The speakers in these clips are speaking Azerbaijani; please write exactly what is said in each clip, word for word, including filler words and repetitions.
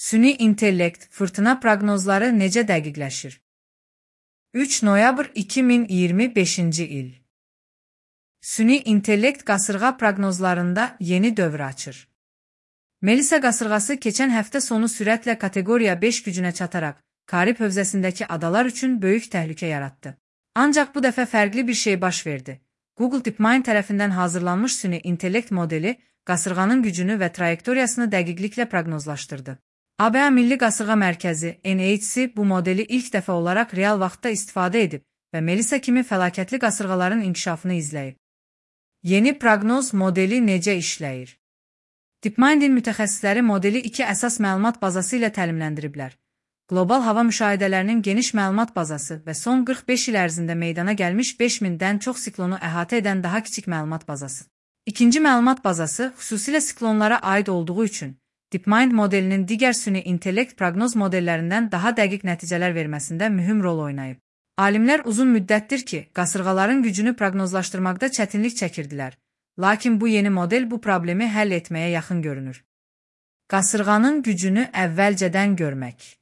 Süni intellekt, fırtına proqnozları necə dəqiqləşir? üç noyabr iki min iyirmi beşinci il. Süni intellekt qasırğa proqnozlarında yeni dövr açır. Melisa qasırğası keçən həftə sonu sürətlə kateqoriya beş gücünə çataraq, Karib hövzəsindəki adalar üçün böyük təhlükə yaratdı. Ancaq bu dəfə fərqli bir şey baş verdi. Google DeepMind tərəfindən hazırlanmış süni intellekt modeli, qasırğanın gücünü və trayektoriyasını dəqiqliklə proqnozlaşdırdı. A B A Milli Qasırğa Mərkəzi N H C bu modeli ilk dəfə olaraq real vaxtda istifadə edib və Melisa kimi fəlakətli qasırğaların inkişafını izləyib. Yeni proqnoz modeli necə işləyir? DeepMind'in mütəxəssisləri modeli iki əsas məlumat bazası ilə təlimləndiriblər. Qlobal hava müşahidələrinin geniş məlumat bazası və son qırx beş il ərzində meydana gəlmiş beş mindən çox siklonu əhatə edən daha kiçik məlumat bazası. İkinci məlumat bazası xüsusilə siklonlara aid olduğu üçün DeepMind modelinin digər süni intellekt proqnoz modellərindən daha dəqiq nəticələr verməsində mühüm rol oynayıb. Alimlər uzun müddətdir ki, qasırğaların gücünü proqnozlaşdırmaqda çətinlik çəkirdilər, lakin bu yeni model bu problemi həll etməyə yaxın görünür. Qasırğanın gücünü əvvəlcədən görmək.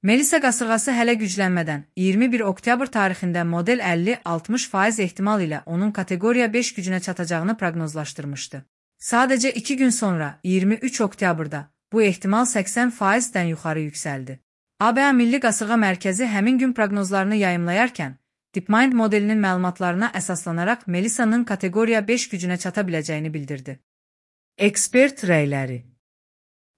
Melisa qasırğası hələ güclənmədən iyirmi bir oktyabr tarixində model əlli altmış faiz ehtimal ilə onun kateqoriya beş gücünə çatacağını proqnozlaşdırmışdı. Sadəcə iki gün sonra iyirmi üç oktyabrda bu ehtimal səksən faizdən yuxarı yüksəldi. A B A Milli Qasırğa Mərkəzi həmin gün proqnozlarını yayımlayarkən, DeepMind modelinin məlumatlarına əsaslanaraq Melisa'nın kateqoriya beş gücünə çata biləcəyini bildirdi. Ekspert rəyləri.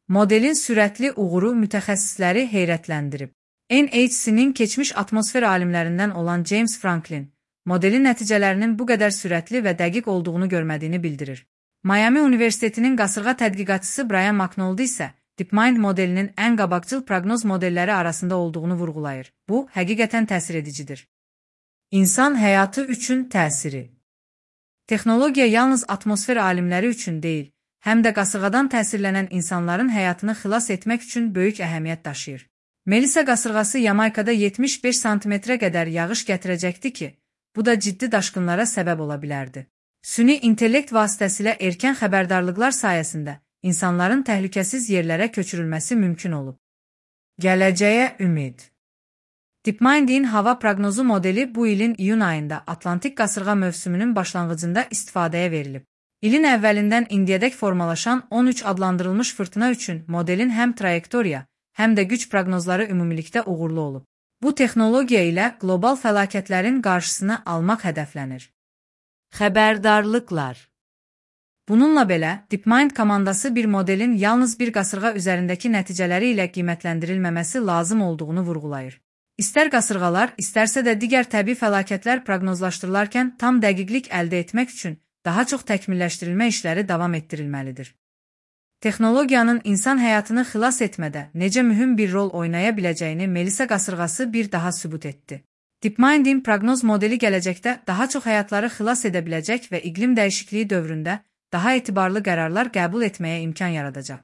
Modelin sürətli uğuru mütəxəssisləri heyrətləndirib. N H C-nin keçmiş atmosfer alimlərindən olan James Franklin, modelin nəticələrinin bu qədər sürətli və dəqiq olduğunu görmədiyini bildirir. Miami Universitetinin qasırğa tədqiqatçısı Brian McNulty isə DeepMind modelinin ən qabaqcıl proqnoz modelləri arasında olduğunu vurğulayır. Bu, həqiqətən təsir edicidir. İnsan həyatı üçün təsiri. Texnologiya yalnız atmosfer alimləri üçün deyil, həm də qasırğadan təsirlənən insanların həyatını xilas etmək üçün böyük əhəmiyyət daşıyır. Melisa qasırğası Yamaykada yetmiş beş santimetrə qədər yağış gətirəcəkdi ki, bu da ciddi daşqınlara səbəb ola bilərdi. Süni intellekt vasitəsilə erkən xəbərdarlıqlar sayəsində insanların təhlükəsiz yerlərə köçürülməsi mümkün olub. Gələcəyə ümid. DeepMind'in hava proqnozu modeli bu ilin iyun ayında Atlantik qasırğa mövsümünün başlanğıcında istifadəyə verilib. İlin əvvəlindən indiyədək formalaşan on üç adlandırılmış fırtına üçün modelin həm trayektoriya, həm də güc proqnozları ümumilikdə uğurlu olub. Bu texnologiya ilə qlobal fəlakətlərin qarşısını almaq hədəflənir. Xəbərdarlıqlar. Bununla belə, DeepMind komandası bir modelin yalnız bir qasırğa üzərindəki nəticələri ilə qiymətləndirilməməsi lazım olduğunu vurğulayır. İstər qasırğalar, istərsə də digər təbii fəlakətlər proqnozlaşdırılarkən tam dəqiqlik əldə etmək üçün daha çox təkmilləşdirilmə işləri davam etdirilməlidir. Texnologiyanın insan həyatını xilas etmədə necə mühüm bir rol oynaya biləcəyini Melisa qasırğası bir daha sübut etdi. DeepMind'in proqnoz modeli gələcəkdə daha çox həyatları xilas edə biləcək və iqlim dəyişikliyi dövründə daha etibarlı qərarlar qəbul etməyə imkan yaradacaq.